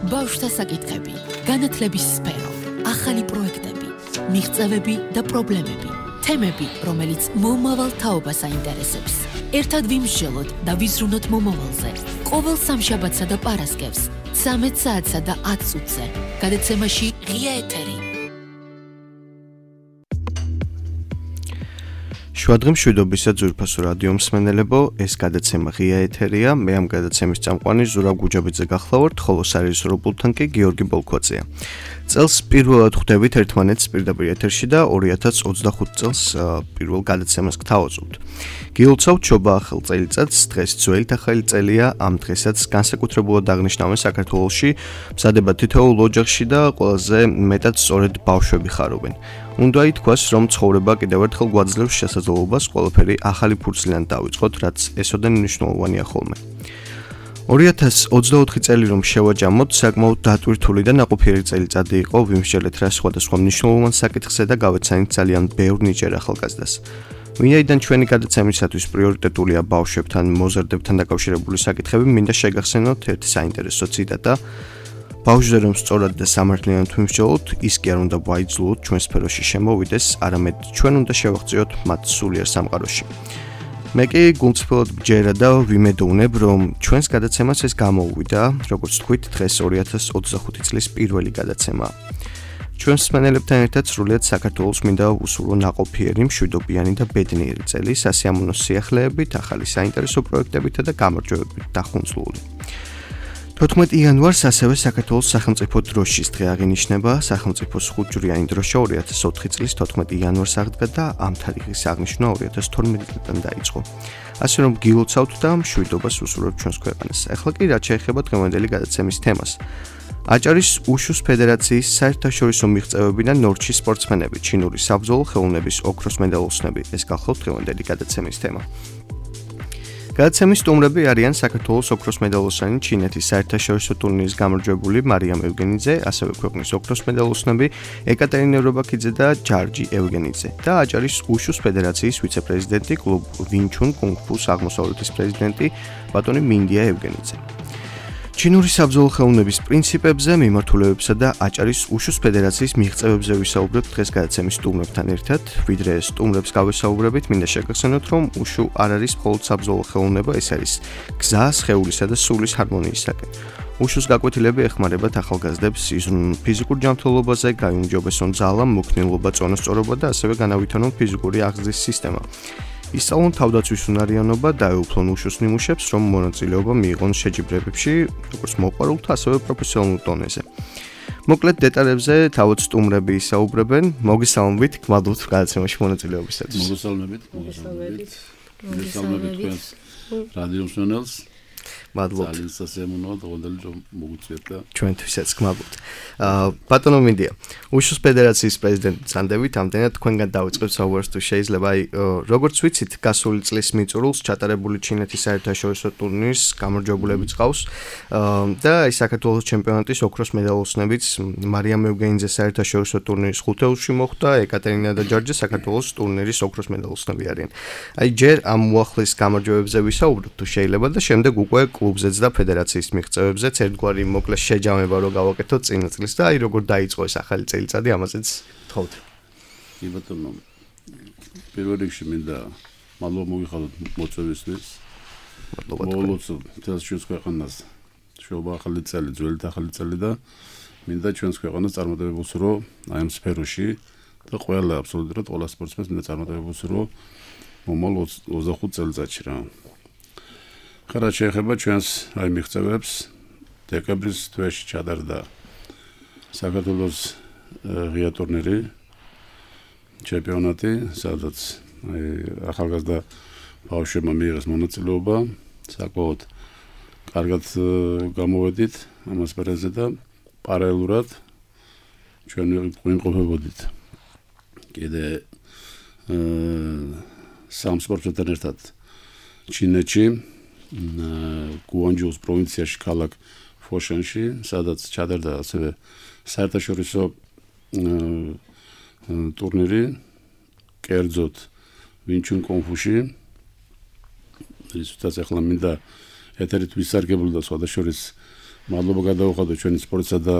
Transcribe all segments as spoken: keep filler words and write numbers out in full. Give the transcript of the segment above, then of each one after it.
ბავშვთა საკითხები, განათლების სფერო, ახალი პროექტები, მიღწევები და პრობლემები, თემები, რომელიც მომავალ თაობას აინტერესებს. ერთად ვიმსჯელოთ და ვიზრუნოთ მომავალზე. ყოველ სამშაბათსა და პარასკევს, ცამეტ საათსა და ათ წუთზე. გადაცემაში ღია ეთერი. შუადღე მშვიდობისა ძვირფასო რადიო მსმენელებო, ეს გადაცემა ღია ეთერია. მე ამ გადაცემის წამყვანი ზურაბ გუჯაბიძე გახლავართ, ხოლო სარეჟისორო პულტთან კი გიორგი ბოლქვაძეა. წელს პირველად ხვდებით ერთმანეთს პირდაპირ ეთერში და ორი ათას ოცდახუთ წელს პირველ გადაცემას გთავაზობთ. გილოცავთ შობა ახალ წელიწადს, დღეს ძველით ახალი წელია, ამ დღესაც განსაკუთრებულად აღნიშნავენ საქართველოში, მზადება თითოეულ ოჯახში და ყველაზე მეტად სწორედ ბავშვები ხარობენ. უნდა ითქვას, რომ ცხოვრება კიდევ ერთხელ გვაძლევს შესაძლებლობას ყველაფერი ახალი ფურცლიდან დავიწყოთ, რაც ესოდენ მნიშვნელოვანია ხოლმე. ორი ათას ოცდაოთხი წელი რომ შევაჯამოთ, საკმაოდ დატვირთული და ნაყოფიერი წელიწადი იყო, ვიმსჯელეთ რა სხვადასხვა მნიშვნელოვან საკითხზე და გავეცანით ძალიან ბევრ ნიჭიერ ახალგაზრდას. ვინაიდან ჩვენი გადაცემისათვის პრიორიტეტულია ბავშვებთან, მოზარდებთან დაკავშირებული საკითხები, მინდა შეგახსენოთ ერთი საინტერესო ციტატა. ბავშვზე რომ სწორად და სამართლიანად ვიმსჯელოთ, ის კი არ უნდა ვაიძულოთ ჩვენ სფეროში შემოვიდეს, არამედ ჩვენ უნდა შევაღწიოთ მათ სულიერ სამყაროში. მე კი გულწრფელად გჯერა და ვიმედოვნებ, რომ ჩვენს გადაცემას ეს გამოუვიდა, როგორც თქვით, დღეს ორი ათას ოცდახუთი წლის პირველი გადაცემაა. ჩვენს მსმენელებთან ერთად სრულიად საქართველოს მინდა უსურვო ნაყოფიერი, მშვიდობიანი და ბედნიერი წელი, სასიამოვნო სიახლეებით, ახალი საინტერესო პროექტებითა და გამარჯვებებით დახუნძლული. თოთხმეტი იანვარს ასევე საქართველოს სახელმწიფო დროშის დღე აღინიშნება, სახელმწიფოს ხუთჯვრიანი დროშა ორი ათას ოთხი წლის თოთხმეტი იანვარს აღდგა და ამ თარიღის აღნიშვნა ორი ათას თორმეტი წლიდან დაიწყო. ასე რომ გილოცავთ და მშვიდობას უსურვებთ ჩვენს ქვეყანას. ახლა კი რაც შეეხება დღევანდელი გადაცემის თემას. აჭარის უშუს ფედერაციის საერთაშორისო მიღწევები და ნორჩის სპორტსმენები, ჩინური საბრძოლო ხელოვნების ოქროს მედალოსნები. ეს გახლავთ დღევანდელი გადაცემის თემა. გადაცემის სტუმრები არიან საქართველოს ოქროს მედალოსანი ჩინეთის საერთაშორისო ტურნირის გამარჯვებული მარიამ ევგენიძე, ასევე ქვეყნის ოქროს მედალოსნები ეკატერინე რობაქიძე და ჯარჯი ევგენიძე და აჭარის უშუს ფედერაციის ვიცე-პრეზიდენტი, კლუბ ვინჩუნ კუნგ-ფუს აღმოსავლეთის პრეზიდენტი ბატონი მინდია ევგენიძე. ჩინური საბრძოლო ხელოვნების პრინციპებზე, მიმართულებებსა და აჭარის უშუს ფედერაციის მიღწევებზე ვისაუბრებთ დღეს გადაცემის სტუმრებთან ერთად. ვიდრე სტუმრებს გავესაუბრებით, მინდა შეგახსენოთ, რომ უშუ არ არის მხოლოდ საბრძოლო ხელოვნება, ეს არის გზა სხეულისა და სულის ჰარმონიისაკენ. უშუს გაკვეთილები ეხმარებათ ახალგაზრდებს იზრუნონ ფიზიკურ ჯანმრთელობაზე, გაიუმჯობესონ ძალა, მოქნილობა, წონასწორობა და ასევე განავითარონ ფიზიკური აღზრდის სისტემა. ისწავლონ თავდაცვის უნარიანობა და ეუფლონ უშუს ნიმუშებს, რომ მონაწილეობა მიიღონ შეჯიბრებებში, როგორც მოყვარულთა, ასევე პროფესიონალურ დონეზე. მოკლედ დეტალებზე თავად სტუმრები ისაუბრებენ. მოგესალმებით, გმადლობთ გადაცემაში მონაწილეობისათვის. მოგესალმებით, მოგესალმებით. მოგესალმებით თქვენს რადიო მსმენელს. მადლობთ. ძალიან სასიამოვნოა დღევანდელი რომ მოგვიწვიეთ და ჩვენთვისაც გმადლობთ. აა ბატონო მინდია, უშუს ფედერაციის პრეზიდენტი წანდებით, ამდენად თქვენგან დავიწყებთ საუბარს თუ შეიძლება. აი, როგორც ვიცით, გასული წლის მიწურულს ჩატარებული ჩინეთის საერთაშორისო ტურნირის გამარჯვებულები წავს და აი საქართველოს ჩემპიონატის ოქროს მედალოსნებიც მარიამ ევგენიძე საერთაშორისო ტურნირის ხუთეულში მოხვდა, ეკატერინა და ჯარჯი საქართველოს ტურნირის ოქროს მედალოსნები არიან. აი, ჯერ ამ უახლის გამარჯვებებზე ვისაუბროთ თუ შეიძლება და შემდეგ უკვე კლუბზეც და ფედერაციის მიღწევებზეც ერთგვარი მოკლე შეჯამება რო გავაკეთოთ წინა წლის და აი როგორ დაიწყო ეს ახალი წელიწადი, ამაზეც თხოვთ. კი ბატონო, პირველ რიგში მინდა მადლობა მოგიხადოთ მოწვევისთვის. მადლობა. მოგლოცავ თელს ჩვენს ქვეყანას შობა ახალი წელი, ძველით ახალი წელი და მინდა ჩვენს ქვეყანას წარმატებებს რო აი ამ სფეროში და ყველა აბსოლუტურად ყველა სპორტსმენს მინდა წარმატებებს რო მომავალ ოცდახუთ წელიწადში რა. ხარა შეეხება ჩვენს აი მიღწევებს, დეკემბრის თვეში ჩატარდა საქართველოს ღია ტურნირი, ჩემპიონატი, სადაც აი ახალგაზრდა ბავშვებმა მიიღეს მონაწილეობა, საკმაოდ კარგად გამოვედით ამ ასპარეზზე და პარალელურად ჩვენ ვიმყოფებოდით კიდე სამ სპორტსმენთან ერთად ჩინეთში, გუანჯოუს პროვინციაში, ქალაქ ფოშენში, სადაც ჩატარდა ასევე საერთაშორისო ტურნირი, კერძოდ ვინჩუნ კუნგ-ფუში. რისთვისაც ახლა მინდა ეთერით ვისარგებლო და სხვადასხვა მადლობა გადავუხადო ჩვენი სპორტსა და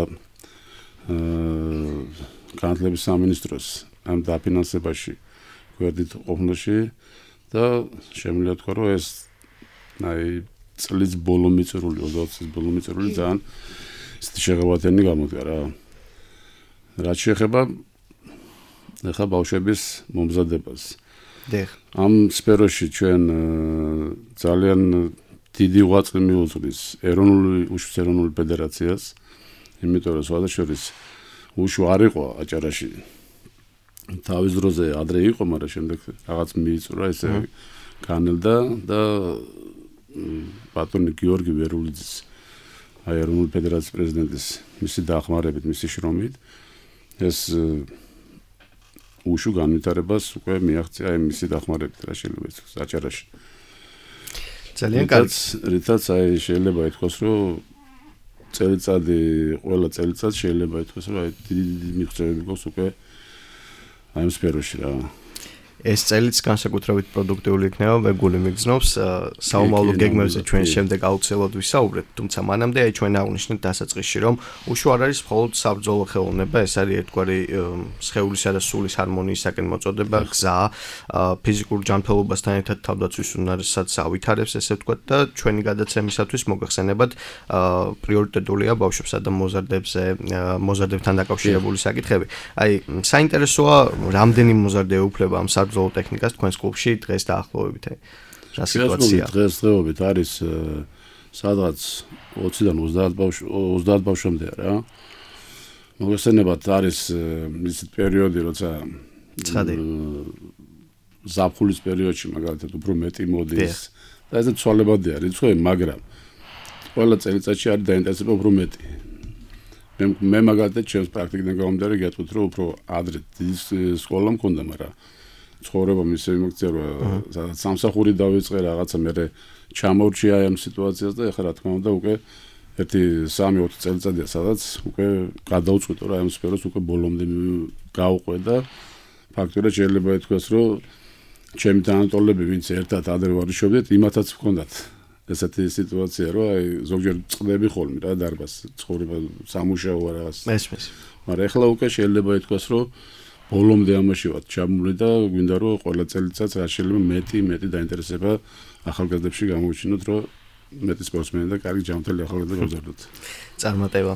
განათლების სამინისტროს ამ დაფინანსებაში გვერდით ყოფნაში და შემიძლია თქვა რომ ეს აი წლის ბოლო მიწრული ოცდაოთხ წლის ბოლო მიწრული ძალიან ისეთი შეღავათენი გამოდგა რა რაც შეეხება ახლა ბავშვების მომზადებას დიახ ამ სფეროში ჩვენ ძალიან დიდი ღვაწლი მიუძღვის ეროვნული უშუს ეროვნული ფედერაციას იმიტომ რომ სხვადასხვა უშუ არ იყო აჭარაში თავის დროზე ადრე იყო მაგრამ შემდეგ რაღაც მიიწურა ესე განელდა და ბატონი გიორგი ვერულიძის აი ეროვნული ფედერაციის პრეზიდენტის მისი დახმარებით მისი შრომით ეს უშუ განვითარებას უკვე მიაღწია აი მისი დახმარებით რა შეიძლება ითქვას აჭარაში ძალიან კარგი რითაც აი შეიძლება ითქვას რომ წელიწადი ყველა წელიწად შეიძლება ითქვას რომ აი დიდი მიღწევები გვაქვს უკვე აი ამ სფეროში რა ეს წელიც განსაკუთრებით პროდუქტიული იქნება ვეგული მიგზნობს საომავლო გეგმებზე ჩვენ შემდეგ აუცილებლად ვისაუბრეთ თუმცა მანამდე აი ჩვენ აღვნიშნეთ დასაწყისში რომ უშუ არ არის მხოლოდ საბრძოლო ხელოვნება ეს არის ერთგვარი სხეულისა და სულის ჰარმონიისაკენ მოწოდება გზა ფიზიკურ ჯანმრთელობასთან ერთად თავდაცვის უნარსაც ავითარებს ესე ვთქვათ და ჩვენი გადაცემისათვის მოგახსენებათ პრიორიტეტულია ბავშვებსა და მოზარდებზე მოზარდებთან დაკავშირებული საკითხები აი საინტერესოა რამდენი მოზარდე უფლება ამ საბრძოლო ტექნიკას თქვენს კლუბში დღეს დაახლოებით რა სიტუაცია დღეს დღეობით არის სადღაც ოცდან ოცდაათ ბავშვ ოცდაათ ბავშვამდე რა მოგესწრებათ არის ის პერიოდი როცა ცხადი ზაფხულის პერიოდში მაგალითად უფრო მეტი მოდის და ეს ცვალებადია რიცხვი მაგრამ ყველა წელიწადში არის დაინტერესება უფრო მეტი მე მაგალითად ჩემს პრაქტიკიდან გამომდინარე გეტყვით რომ უფრო ადრე სკოლა მქონდა მაგრამ ცხოვრება მისე იმოქცია რომ სადაც სამსახური დავიწყე რაღაცა მე ჩამორჩია ამ სიტუაციას და ეხლა რა თქმა უნდა უკვე ერთი სამი ოთხი წელიწადია სადაც უკვე გადავწყვიტე რომ ამ სფეროს უკვე ბოლომდე გავყვე და ფაქტობრივად შეიძლება ითქვას რომ ჩემი თანატოლები ვინც ერთად ადრე ვარიშობდით იმათაც ვქონდათ ესეთი სიტუაცია რომ აი ზოგჯერ წდები ხოლმე რა დარბას ცხოვრება სამუშაო რაღაც მესმის მაგრამ ეხლა უკვე შეიძლება ითქვას რომ ბოლომდე ამაში ვარ ჩამული და გვინდა რომ ყველა წელიწადს რა შეიძლება მეტი მეტი დაინტერესება ახალგაზრდებში გამოვიჩინოთ რომ მეტი სპორტსმენი და კარგი ჯანმრთელი ახალგაზრდა გავზარდოთ. წარმატება.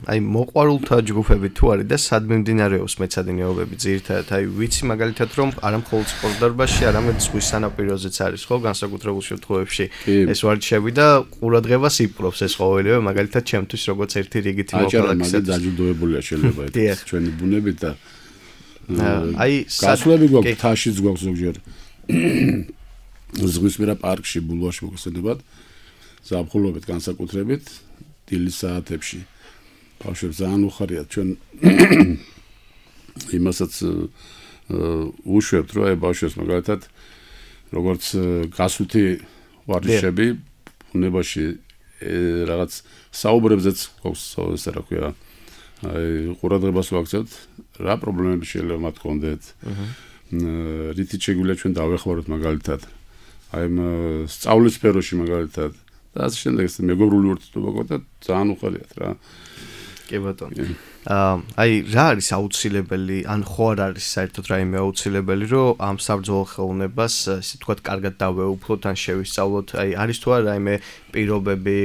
აი მოყვარულთა ჯგუფები თუ არის და სად მიმდინარეობს მეცადინეობები ძირითადად აი ვიცი მაგალითად რომ არა მხოლოდ სპორტდარბაზში, არამედ ზღვის სანაპიროზეც არის ხო განსაკუთრებულ შემთხვევებში ეს ვარჯიშები და ყურადღებას იპყრობს ეს ყოველივე მაგალითად ჩემთვის როგორც ერთი რიგითი მოქალაქეა. აჭარა დაჯილდოებულია შეიძლება ეს ჩვენი ბუნებით და აი გასვლები გვაქვს თაშიც გვაქვს ზოგჯერ ზღვისპირა პარკში ბულვარში მოგესწრებათ ზაფხულობით განსაკუთრებით დილის საათებში ბავშვებს ძალიან უხარიათ ჩვენ იმასაც უშვებთ რომ აი ბავშვებს მაგალითად როგორც გასვითი ვარჯიშები ბუნებაში რაღაც საუბრებზეც გვაქვს ესე რა ქვია აი ყურადღებას ვაქცევთ რა პრობლემები შეიძლება მათ ჰქონდეთ რითიც შეგვიძლია ჩვენ დავეხმაროთ მაგალითად აი სწავლის სფეროში მაგალითად და ასე შემდეგ ეს მეგობრული ურთიერთობა გქონდა ძალიან უხარიათ რა კი ბატონო აი რა არის აუცილებელი ან ხო არ არის საერთოდ რაიმე აუცილებელი რომ ამ საბრძოლო ხელოვნებას ისე თქვათ კარგად დავეუფლოთ ან შევისწავლოთ აი არის თუ არა რაიმე პირობები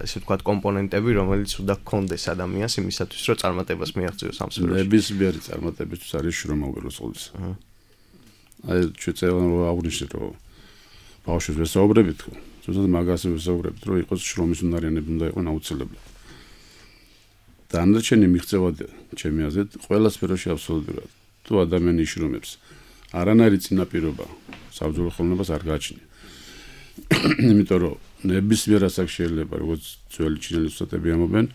ისე თქვათ კომპონენტები რომელიც უნდა გქონდეს ადამიანს იმისათვის რომ წარმატებას მიაღწიოს ამ სფეროში ნებისმიერი წარმატებისთვის არის შრომა უპირველეს ყოვლისა აი შეიძლება რომ აღვნიშნოთ რომ ბავშვებს ვესაუბრებით ხო ზუსტად მაგას ვესაუბრებით რომ იყოს შრომის უნარიანები უნდა იყოს აუცილებლად დანარჩენი მიღწევადია ჩემი აზრით ყველა სფეროში აბსოლუტურად თუ ადამიანი იშრომებს არანაირი წინაპირობა საბრძოლო ხელოვნებას არ გააჩნია იმიტომ რომ ნებისმიერ ასაკში შეიძლება როგორც ძველი ჩინელი უსტატები ამობენ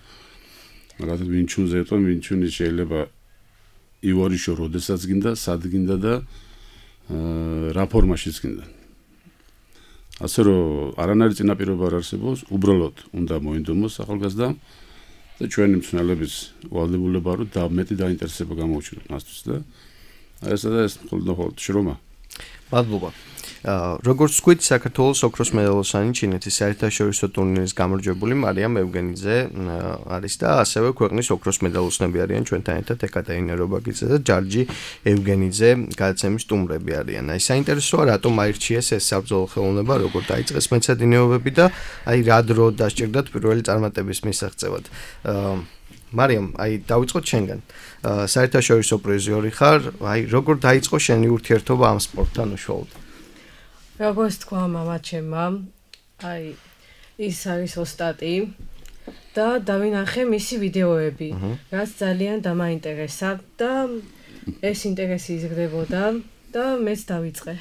მაგალითად ვინჩუნზე ეტყვი ვინჩუნი შეიძლება ივორიშო როდესაც გინდა სად გინდა და რა ფორმაშიც გინდა ასე რომ არანაირი წინაპირობა არ არსებობს უბრალოდ უნდა მოინდომოს ახალგაზრდა და ჩვენი მცნელების ვალდებულება რომ და მეტი დაინტერესება გამოუჩინოთ მასთვის და ესა და ეს მხოლოდ მხოლოდ შრომა. მადლობა. როგორც ვთქვით, საქართველოს ოქროს მედალოსანი ჩინეთის საერთაშორისო ტურნირის გამარჯვებული მარიამ ევგენიძე არის და ასევე ქვეყნის ოქროს მედალოსნები არიან ჩვენთან ერთად ეკატერინე რობაკიძე და ჯარჯი ევგენიძე გადაცემის სტუმრები არიან. აი საინტერესოა რატომ აირჩიეს ეს საბრძოლო ხელოვნება, როგორ დაიწყეს მეცადინეობები და აი რა დრო დასჭირდათ პირველი წარმატების მისაღწევად. მარიამ, აი დავიწყოთ შენგან. საერთაშორისო პრიზიორი ხარ, აი როგორ დაიწყო შენი ურთიერთობა ამ სპორტთან უშუალოდ? როგორც თქვა მამა ჩემმა, აი ის არის ოსტატი და დავინახე მისი ვიდეოები, რაც ძალიან დამაინტერესა და ეს ინტერესი იზრდებოდა და მეც დავიწყე.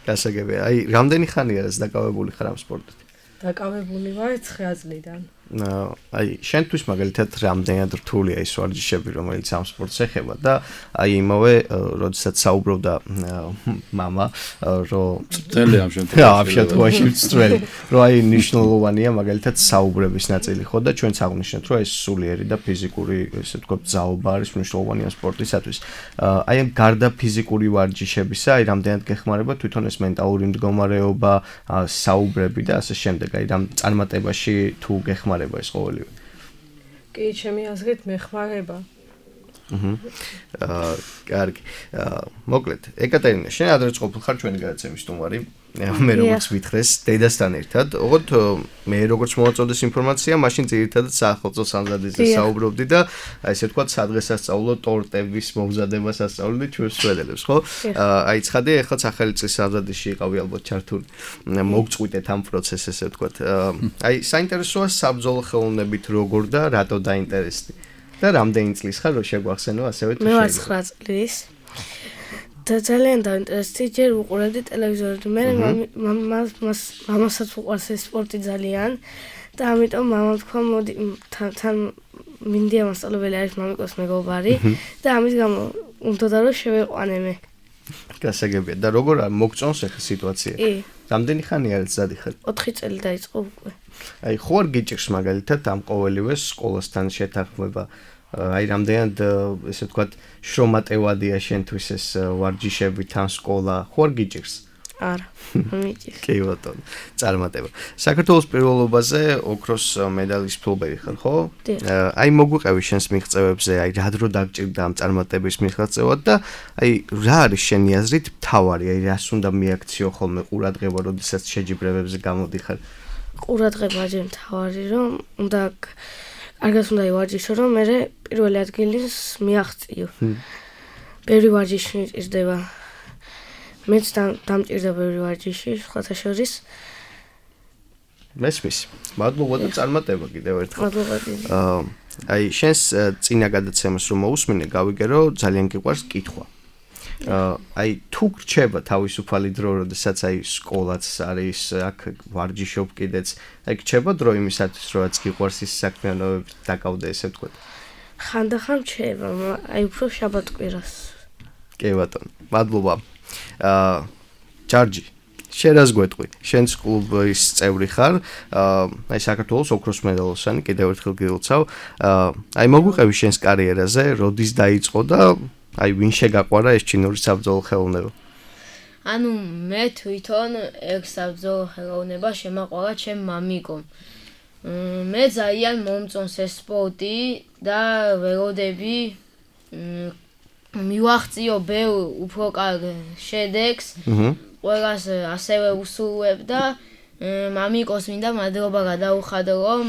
გასაგებია. აი რამდენი ხანია ეს დაკავებული ხარ ამ სპორტით? დაკავებული ვარ ცხრა წლიდან. აი შენთვის მაგალითად რამდენად რთულია ის ვარჯიშები, რომელიც ამ სპორტს ეხება და აი იმავე როდესაც საუბრობდა მამა, რომ წელი ამ შემთხვევაში ამ შემთხვევაში წელი, რომ აი ნიშნულოვანია მაგალითად საუბრების ნაწილი ხო და ჩვენც აღნიშნეთ, რომ ეს სულიერი და ფიზიკური, ესე ვთქვათ, ძალობა არის მნიშვნელოვანი ამ სპორტისათვის. აი ამ გარდა ფიზიკური ვარჯიშებისა, აი რამდენად გეხმარება თვითონ ეს მენტალური მდგომარეობა, საუბრები და ასე შემდეგ, აი რამ წარმატებაში თუ გეხმარება ეს ყოველივე. კი, ჩემი აზრით მეხმარება. აჰა. აა, კარგი. აა, მოკლედ, ეკატერინე, შენ ადრეც ყოფილ ხარ ჩვენი გადაცემის სტუმარი. მე როგორც ვითხრეს, დედასთან ერთად, ოღონდ მე როგორც მოვაწოდეს ინფორმაცია, მაშინ ძირითადად საახალწლო სამზადისზე საუბრობდი და აი ესე ვთქვათ, სადღესასწაულო ტორტების მომზადებას ასწავლდი ჩვენს სვედელებს, ხო? აი ცხადია, ეხლა ახალი წლის სამზადისში იყავი ალბათ ჩართული. მოგწყვიტეთ ამ პროცესს, ესე ვთქვათ. აი საინტერესოა საბრძოლო ხელოვნებით როგორ და რატო დაინტერესდი? და რამდენი წლის ხარ, რომ შეგვახსენო ასევე თუ შეიძლება? მე ვარ ცხრა წლის. და ძალიან დაინტერესდი, ჯერ უყურებდი ტელევიზორში. მე მამას მამასაც უყვარს ეს სპორტი ძალიან და ამიტომ მამამ თქვა, მოდი თან მინდია მასწავლებელი არის მამიკოს მეგობარი და ამის გამო უნდა რომ შევეყვანე მე. გასაგებია. და როგორ მოგწონს ახლა სიტუაცია? კი. რამდენი ხანი არის ზადი ხარ? ოთხი წელი დაიწყო უკვე. აი ხო არ გიჭირს მაგალითად ამ ყოველივე სკოლასთან შეთანხმება? აი რამდენად ესე ვთქვათ შრომატევადია შენთვის ეს ვარჯიშები თან სკოლა, ხო არ გიჭირს? არა, მიჭირს. კი ბატონო, წარმატება. საქართველოს პირველობაზე ოქროს მედალის მფლობელი ხარ, ხო? აი მოგვიყევი შენს მიღწევებზე, აი რა დრო დაგჭირდა ამ წარმატების მიღწევად და აი რა არის შენი აზრით მთავარი, აი რას უნდა მიაქციო ხოლმე ყურადღება, როდესაც შეჯიბრებებზე გამოდიხარ? ყურადღება ჯერ მთავარი, რომ უნდა კარგად უნდა ივარჯიშო, რომ მე პირველი ადგილის მიაღწიო. ბევრი ვარჯიში მჭირდება. მეც დამჭირდა ბევრი ვარჯიში, სხვათა შორის. მესმის. მადლობა და წარმატება კიდევ ერთხელ. მადლობა. აა აი შენს წინა გადაცემას რომ მოусმინე, გავიგე რომ ძალიან გიყვარს კითხვა. აი თუ გრჩება თავისუფალი დრო, როდესაც აი სკოლაც არის, აქ ვარჯიშობ კიდეც, აი გრჩება დრო იმისათვის, რომ გიყვარს ის საქმიანობები დაკავდე, ესე ვთქვათ. ხანდახან რჩება, აი უფრო შაბათ-კვირას. კი ბატონო, მადლობა. აა ჯარჯი, შენ რას გვეტყვი? შენს კლუბის წევრი ხარ, აი საქართველოს ოქროს მედალოსანი, კიდევ ერთხელ გილოცავ. აი მოგვიყევი შენს კარიერაზე, როდის დაიწყო და აი ვინ შეგაყვარა ეს ჩინური საბრძოლო ხელოვნება? ანუ მე თვითონ ეს საბრძოლო ხელოვნება შემაყვარა ჩემ მამიკომ. მე ძალიან მომწონს ეს სპორტი და ველოდები მივახციო ბევრ უფრო კარგ შედეგს. ყველას ასევე უსურვებ და მამიკოს მინდა მადლობა გადაუხადო, რომ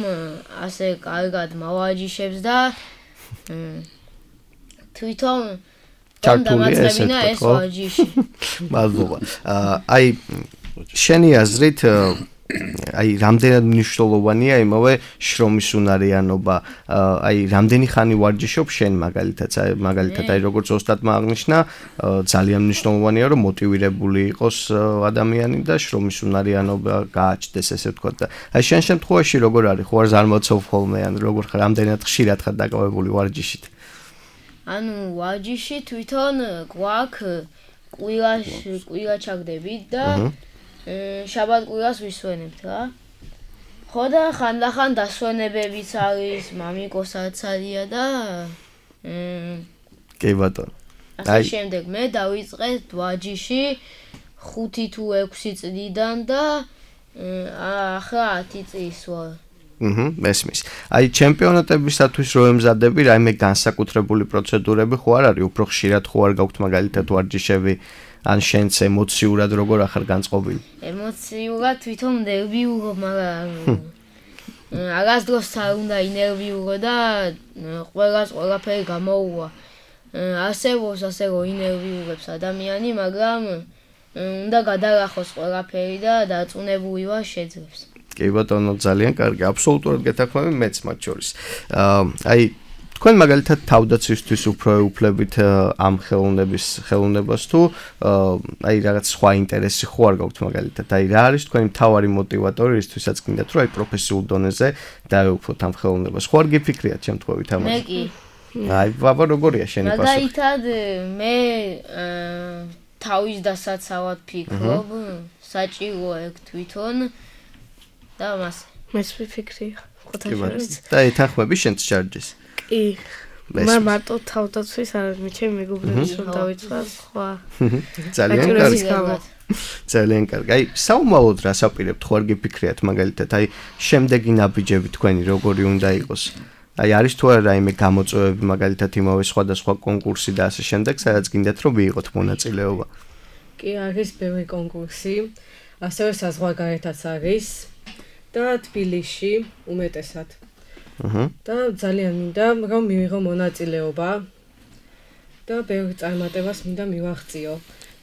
ასე კარგად მოვაჯიშებს და თვითონ ჩართულია ეს ვარჯიში. მადლობა. აი შენი აზრით აი რამდენად მნიშვნელოვანია იმავე შრომის უნარიანობა, აი რამდენი ხანი ვარჯიშობ შენ მაგალითად, მაგალითად აი როგორც ოსტატმა აღნიშნა, ძალიან მნიშვნელოვანია რომ მოტივირებული იყოს ადამიანი და შრომის უნარიანობა გააჩნდეს, ესე ვთქვათ და აი შენ შემთხვევაში როგორ არის, ხო არ ზარმაცობ ხოლმე ან როგორ ხარ, რამდენად ხშირად ხარ დაკავებული ვარჯიშით? ანუ ვარჯიში თვითონ გვაქვს კვირაში კვირა ჩაგდებით და შაბათ-კვირას ვისვენებთ რა. ხო და ხანდახან დასვენებებიც არის, მამიკოსაც არია და კი ბატონო. აი შემდეგ მე დავიწყე ვარჯიში ხუთი თუ ექვსი წლიდან და ახლა ათი წლის ვარ. აჰა, მესმის. აი ჩემპიონატებისათვის რო ემზადები, რაიმე განსაკუთრებული პროცედურები ხო არ არის, უფრო ხშირად ხო არ გაქვთ მაგალითად ვარჯიშები, ან შენც ემოციურად როგორ ახარ განწყობილი? ემოციურად თვითონ ნერვიულობ, მაგრამ აღას დროს არ უნდა ინერვიულო და ყველას ყველაფერი გამოუვა. არსებობს ასე რომ ინერვიულებს ადამიანი, მაგრამ უნდა გადაახოს ყველაფერი და დაწუნებული ვარ შეძლებს. კი ბატონო, ძალიან კარგი, აბსოლუტურად გეთანხმები მეც მათ შორის. აი თქვენ მაგალითად თავდაცვისთვის უფრო ეუფლებით ამ ხელოვნების ხელოვნებას თუ აი რაღაც სხვა ინტერესი ხო არ გაქვთ მაგალითად? აი რა არის თქვენი მთავარი მოტივატორი რისთვისაც გინდათ რომ აი პროფესიულ დონეზე დაეუფლოთ ამ ხელოვნებას? ხო არ გიფიქრიათ შემთხვევით ამაზე? მე კი. აი ბაბა როგორია შენი პასუხი? მაგალითად მე თავის დასაცავად ფიქრობ, საჭიროა ეგ თვითონ და მას მეც ვიფიქრია. და ეთანხმები შენც ჩარჯეს? კი. მაგრამ მარტო თავდაცვის არ არის, ჩემი მეგობრების რომ დავიცვა სხვა. ძალიან კარგი. ძალიან კარგი. აი საომალოდ რას აპირებთ, ხო არ გიფიქრიათ მაგალითად, აი შემდეგი ნაბიჯები თქვენი როგორი უნდა იყოს? აი არის თუ არა რაიმე გამოწვევები მაგალითად იმავე სხვადასხვა კონკურსი და ასე შემდეგ, სადაც გინდათ რომ მიიღოთ მონაწილეობა? კი, არის ბევრი კონკურსი, ასევე საზღვარგარეთაც არის და თბილისში უმეტესად. აჰა. და ძალიან მინდა რომ მივიღო მონაწილეობა და ბევრ წარმატებას მინდა მივაღწიო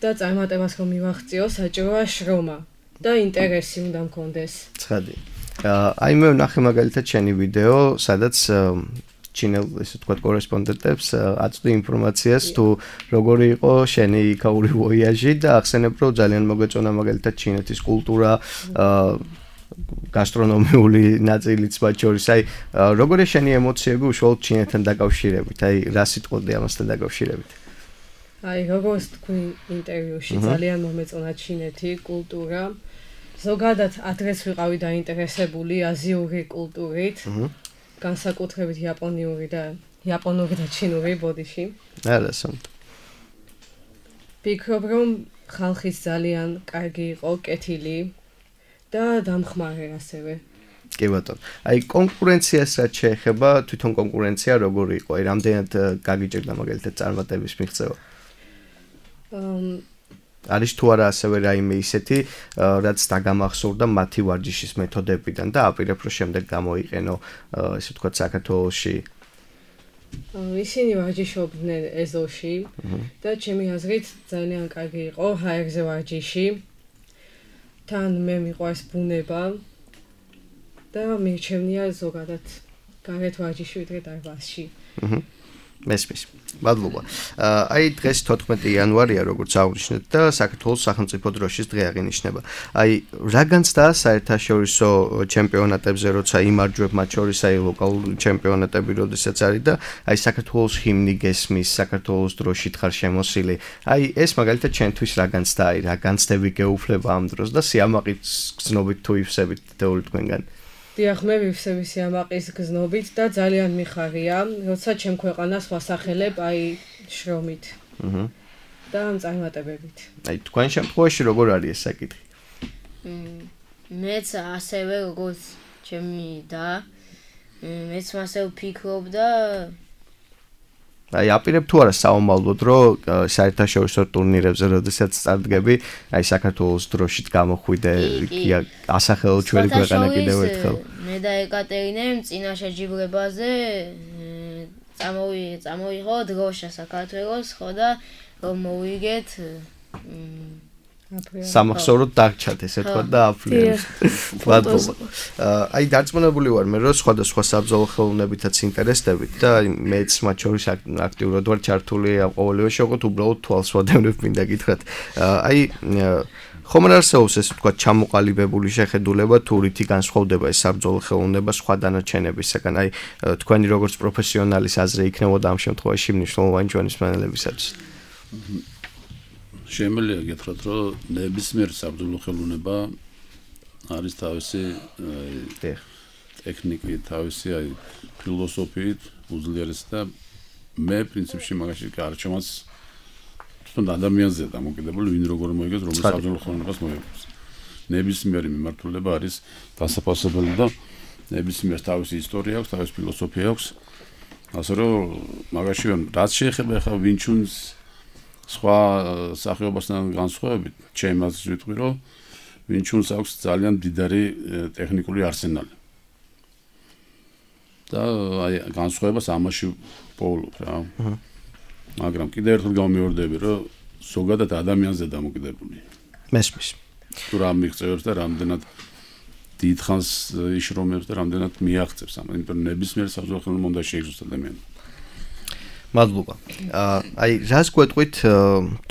და წარმატებას რომ მივაღწიო, საჭიროა შრომა და ინტერესი უნდა მქონდეს. ცხადი. აი მე ვნახე მაგალითად შენი ვიდეო, სადაც ჩინელ ესე თქვა კორესპონდენტებს აწვდი ინფორმაციას თუ როგორი იყო შენი იქაური ვოიაჟი და ახსენებ რომ ძალიან მოგეწონა მაგალითად ჩინეთის კულტურა, გასტრონომიული ნაწილიც მათ შორის. აი როგორია შენი ემოციები უშუალოდ ჩინეთთან დაკავშირებით? აი რა სიტყვოდი ამასთან დაკავშირებით? აი როგორც თქვი ინტერვიუში ძალიან მომეწონა ჩინეთი, კულტურა. ზოგადად ადრეს ვიყავი დაინტერესებული აზიური კულტურით, განსაკუთრებით იაპონიური და იაპონური და ჩინური ბოდიში. არასწორად. ვფიქრობ რომ ხალხის ძალიან კარგი იყო, კეთილი და დამხმარე ასევე. კი ბატონო. აი კონკურენციას რაც შეეხება, თვითონ კონკურენცია როგორი იყო? აი რამდენად გაგიჭირდა მაგალითად წარმატების მიღწევა? არის თუ არა ასევე რაიმე ისეთი, რაც დაგამახსოვრდა მათი ვარჯიშის მეთოდებიდან და აპირებ რომ შემდეგ გამოიყენო, ესე ვთქვათ, საქართველოში? ისინი ვარჯიშობდნენ ეზოში და ჩემი აზრით ძალიან კარგი იყო ჰაერზე ვარჯიში. თან მე მიყვარს ბუნება და მირჩევნია ზოგადად გარეთ ვარჯიში ვიდრე დარბაზში. აჰა. მესმის. მადლობა. აი დღეს თოთხმეტი იანვარია, როგორც აღნიშნეთ და საქართველოს სახელმწიფო დროშის დღე აღინიშნება. აი რა განცდაა საერთაშორისო ჩემპიონატებზე, როცა იმარჯვებ მათ შორის აი ლოკალური ჩემპიონატები, როდესაც არის და აი საქართველოს ჰიმნი გესმის, საქართველოს დროშით ხარ შემოსილი. აი ეს მაგალითად ჩემთვის რა განცდაა, აი რა განცდები გეუფლება ამ დროს და სიამაყით გზნობით თუ ივსებით თეორიულად თქვენგან? დიახ, მე ვივსები სიამაყის გზნობით და ძალიან მიხარია, როცა ჩემ ქვეყანას ვასახელებ აი შრომით. აჰა. და წარმატებებით. აი თქვენ შემთხვევაში როგორ არის ეს საკითხი? მეც ასევე როგორც ჩემი და მეც მასე ვფიქრობ და აი აპირებ თუ არა საომალოდ რომ საერთაშორისო ტურნირებზე როდესაც წარდგები, აი საქართველოს დროშით გამოხვიდე, ასახელო ჩვენი ქვეყანა კიდევ ერთხელ. მე და ეკატერინემ წინა შეჯიბრებაზე წამოვიღო დროშა საქართველოს, ხო და რომ მოვიგეთ სამახსოვროდ დაგჩათ ესე თქვა და აფრინებს. მადლობა. აი დარწმუნებული ვარ მე რომ სხვადასხვა საბრძოლო ხელოვნებითაც ინტერესდებით და მეც მათ შორის აქტიურად ვარ ჩართული ამ ყოველივე შეყოთ უბრალოდ თვალს ვადევნებ მინდა გითხრათ. აი ხომ არ არსებობს ესე თქვა ჩამოყალიბებული შეხედულება თუ რითი განსხვავდება ეს საბრძოლო ხელოვნება სხვა დანარჩენებისგან? აი თქვენი როგორც პროფესიონალის აზრი იქნებოდა ამ შემთხვევაში მნიშვნელოვანი ჩვენი მსმენელებისათვის. შემიძლია გითხრათ, რომ ნებისმიერ საბრძოლო ხელოვნება არის თავისი ტექნიკით, თავისი აი ფილოსოფიით უძლიერესი და მე პრინციპში მაგაში გარჩევას თვითონ ადამიანზეა დამოკიდებული, ვინ როგორ მოიგებს, რომელ საბრძოლო ხელოვნებას მოიგებს. ნებისმიერი მიმართულება არის დასაფასებელი და ნებისმიერს თავისი ისტორია აქვს, თავისი ფილოსოფია აქვს. ასე რომ მაგაში რაც შეეხება ახლა ვინჩუნს სხვა სახეობასთან განსხვავებით, ჩემს აზრით ვიტყვი, რომ ვინჩუნს აქვს ძალიან მდიდარი ტექნიკური არსენალი. და აი განსხვავებას ამაში პოულობ რა. მაგრამ კიდევ ერთხელ გამიმეორდები, რომ ზოგადად ადამიანზე დამოკიდებული. მესმის. თუ რა მიღწევებს და რამდენად დიდხანს იშრომებს და რამდენად მიაღწევს ამ, იმიტომ რომ ნებისმიერ საბრძოლო ხელოვნებაში უნდა შეიგრძნოს ადამიანი. მადლობა. აი რას გვეტყვით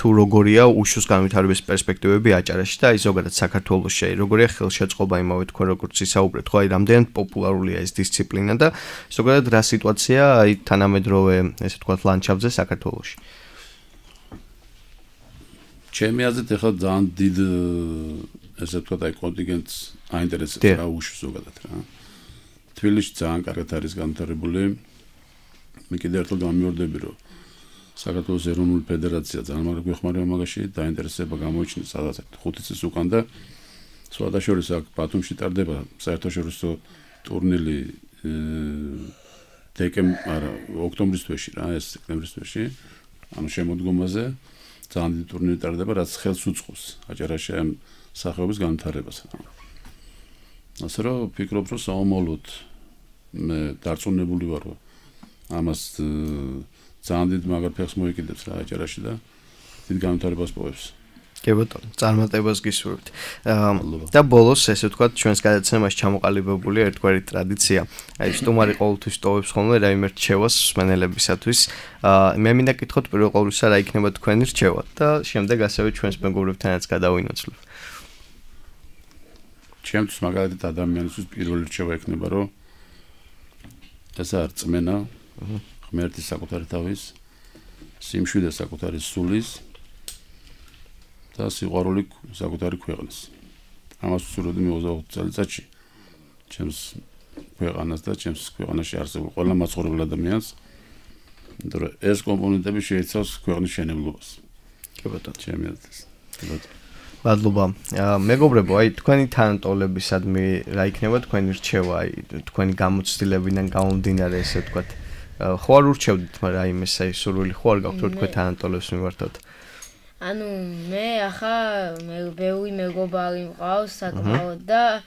თუ როგორია უშუს განვითარების პერსპექტივები აჭარაში და აი ზოგადად საქართველოში, აი როგორია ხელშეწყობა იმავე თქვენ როგორც ისაუბრეთ, ხო აი რამდენად პოპულარულია ეს დისციპლინა და ზოგადად რა სიტუაცია აი თანამედროვე ესე ვთქვათ ლანდშაფტზე საქართველოში. ჩემი აზრით ახლა ძალიან დიდ ესე ვთქვათ აი კონტინგენტს აინტერესებს რა უშუს ზოგადად რა. თბილისში ძალიან კარგად არის განვითარებული. მე კიდევ ერთხელ გამიმეორდები, რომ საქართველოს ეროვნული ფედერაცია ძალიან მაგარ გვეხმარება მაგაში, დაინტერესება გამოიჩინა სადაც ხუთი წლის უკან და სხვადასხვა აქ ბათუმში ტარდება საერთაშორისო ტურნირი დეკემ, არა, ოქტომბრის თვეში რა, ეს სექტემბრის თვეში, ანუ შემოდგომაზე ძალიან დიდი ტურნირი ტარდება, რაც ხელს უწყობს აჭარაში ამ სახეობის განვითარებას. ასე რომ ვფიქრობ, რომ საომოლოდ მე დარწმუნებული ვარ, რომ ამას ძალიან დიდ მაგარ ფეხს მოიკიდებს რა აჭარაში და დიდ განვითარებას პოვებს. კი ბატონო, წარმატებას გისურვებთ. და ბოლოს ესე ვთქვათ, ჩვენს გადაცემაში ჩამოყალიბებული ერთგვარი ტრადიცია. აი სტუმარი ყოველთვის ტოვებს ხოლმე რაიმე რჩევას მსმენელებისათვის. მე მინდა გითხოთ პირველ ყოვლისა რა იქნება თქვენი რჩევა და შემდეგ ასევე ჩვენს მეგობრებთანაც გადავინოცვლებ. ჩემთვის მაგალითად ადამიანისთვის პირველი რჩევა იქნება, რომ ეს არ წმენა ღმერთის საკუთარი თავის, სიმშვიდე საკუთარი სულის და სიყვარული საკუთარი ქვეყნის. ამას ვსურვები მე ოცდაოთხ წელიწადში ჩემს ქვეყანას და ჩემს ქვეყანაში არსებულ ყველა მაცხოვრებელ ადამიანს. იმიტომ რომ ეს კომპონენტები შეიცავს ქვეყნის მშენებლობას. კი ბატონო, ჩემი აზრით. კი ბატონო. მადლობა. მეგობრებო, აი თქვენი თანატოლებისადმი რა იქნება თქვენი რჩევა, აი თქვენი გამოცდილებიდან გამომდინარე ესე ვთქვათ. ხო არ ურჩევდით, მაგრამ აი მე საი სურვილი ხო არ გაქვთ რომ თქვენ თანატოლებს მივართოთ. ანუ მე ახლა მე ბევრი მეგობარი მყავს საკმაოდ და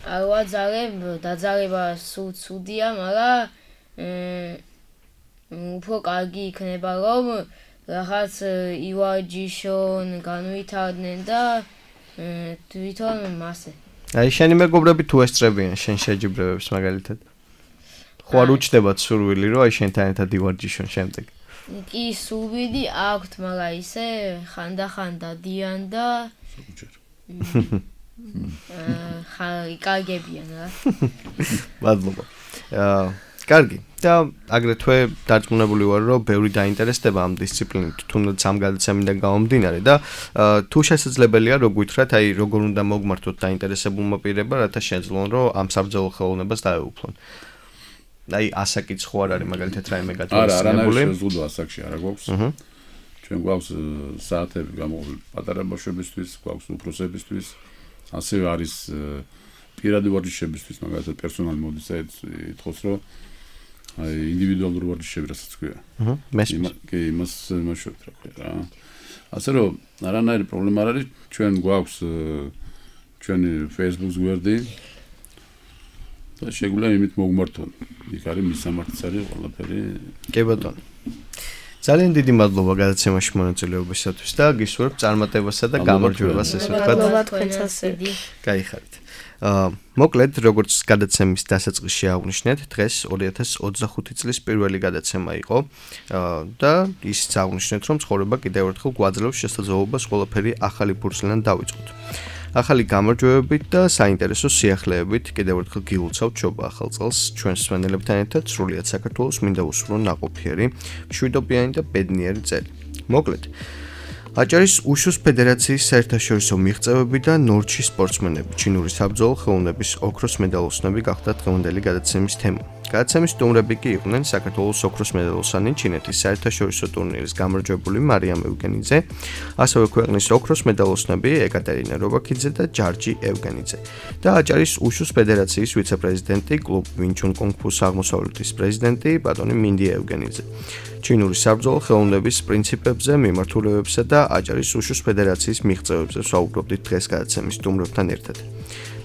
აა ვაძალებ დაძალება სულ ცუდია, მაგრამ უფრო კარგი იქნება რომ რაღაც ივარჯიშონ, განვითარდნენ და თვითონ მასე. აი შენი მეგობრები თუ ესწრებიან შენ შეჯიბრებებს მაგალითად? ხო არ უჩნდებათ სურვილი რომ აი შენთან ერთად ივარჯიშონ შემდეგ? კი, სურვილი აქვთ, მაგრამ ისე ხანდახან დადიან და აა იკარგებიან რა. მადლობა. აა კარგი. და აგრეთვე დარწმუნებული ვარ, რომ ბევრი დაინტერესდება ამ დისციპლინით, თუნდაც ამ გადაცემიდან გამომდინარე და თუ შესაძლებელია, რო გითხრათ, აი როგორ უნდა მოგმართოთ დაინტერესებულმა პირებმა, რათა შეძლონ, რომ ამ საბრძოლო ხელოვნებას დაეუფლონ. აი ასაკიც ხო არ არის მაგალითად რაიმე გათვალისწინებული? არა, არანაირი შეზღუდვა ასაკში არა გვაქვს. ჩვენ გვაქვს საათები გამოყოფილი პატარა ბავშვებისთვის, გვაქვს უფროსებისთვის, ასევე არის პირადი ვარჯიშებისთვის, მაგალითად პერსონალი მოდის და ითხოვს, რომ აი ინდივიდუალური ვარჯიშები რასაც ქვია. აჰა, მესმის. კი, იმას მაშოთ რა ქვია რა. ასე რომ არანაირი პრობლემა არ არის, ჩვენ გვაქვს ჩვენი Facebook გვერდი და შეგვიძლია იმით მოგმართონ. იქ არის მისამართიც არის ყველაფერი. კი ბატონო. ძალიან დიდი მადლობა გადაცემაში მონაწილეობისათვის და გისურვებ წარმატებასა და გამარჯვებას ესე ვთქვათ. მადლობა თქვენსაც. გაიხარით. აა მოკლედ როგორც გადაცემის დასაწყისში აღვნიშნეთ, დღეს ორი ათას ოცდახუთი წლის პირველი გადაცემა იყო აა და ისიც აღვნიშნეთ, რომ ცხოვრება კიდევ ერთხელ გვაძლევს შესაძლებლობას ყველაფერი ახალი ფურცლიდან დავიწყოთ. ახალი გამარჯვებებით და საინტერესო სიახლეებით კიდევ ერთხელ გილოცავთ შობა ახალ წელს ჩვენს მსმენელებთან ერთად სრულიად საქართველოს მინდა უსურვო ნაყოფიერი, მშვიდობიანი და ბედნიერი წელი. მოკლედ აჭარის უშუს ფედერაციის საერთაშორისო მიღწევები და ნორჩის სპორტსმენები ჩინური საბრძოლო ხელოვნების ოქროს მედალოსნები გახდა დღევანდელი გადაცემის თემა. გადაცემის სტუმრები კი იყვნენ საქართველოს ოქროს მედალოსანი ჩინეთის საერთაშორისო ტურნირის გამარჯვებული მარიამ ევგენიძე, ასევე ქვეყნის ოქროს მედალოსნები ეკატერინა რობაქიძე და ჯარჯი ევგენიძე და აჭარის უშუს ფედერაციის ვიცე-პრეზიდენტი, კლუბ ვინჩუნ კონგფუს აღმოსავლეთის პრეზიდენტი ბატონი მინდი ევგენიძე. ჩინური საბრძოლო ხელოვნების პრინციპებზე, მიმართულებებსა და აჭარის უშუს ფედერაციის მიღწევებზე ვსაუბრობდით დღეს გადაცემის სტუმრებთან ერთად.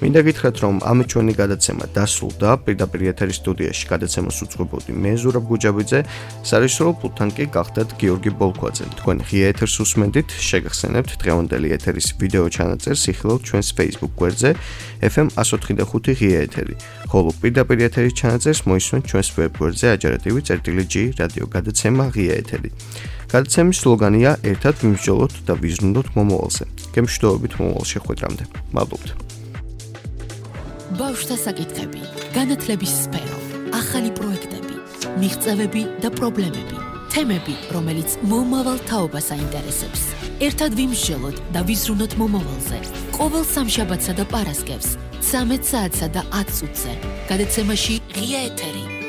მინდა გითხრათ, რომ ამ ჩვენი გადაცემა დასრულდა, პირდაპირ ეთერის სტუდიაში გადაცემას უძღვებოდი მე ზურაბ გუჯაბიძე, სარეჟისორო პულტთან კი გახდათ გიორგი ბოლქვაძე. თქვენ ღია ეთერს უსმენდით, შეგახსენებთ დღევანდელი ეთერის ვიდეო ჩანაწერს იხილავთ ჩვენს Facebook გვერდზე ეფ ემ one oh five ღია ეთერი, ხოლო პირდაპირ ეთერის ჩანაწერს მოისმენთ ჩვენს ვებ გვერდზე აჯარატივი წერტილი ჯი რადიო გადაცემა ღია ეთერი. გადაცემის სლოგანია ერთად ვიმსჯელოთ და ვიზრუნოთ მომავალზე. გემშვიდობებით მომავალ შეხვედრამდე. მადლობთ. ბავშვთა საკითხები, განათლების სფერო, ახალი პროექტები, მიღწევები და პრობლემები, თემები, რომელიც მომავალ თაობას აინტერესებს. ერთად ვიმსჯელოთ და ვიზრუნოთ მომავალზე. ყოველ სამშაბათსა და პარასკევს, ცამეტ საათსა და ათ წუთზე. გადაცემაში ღია ეთერი.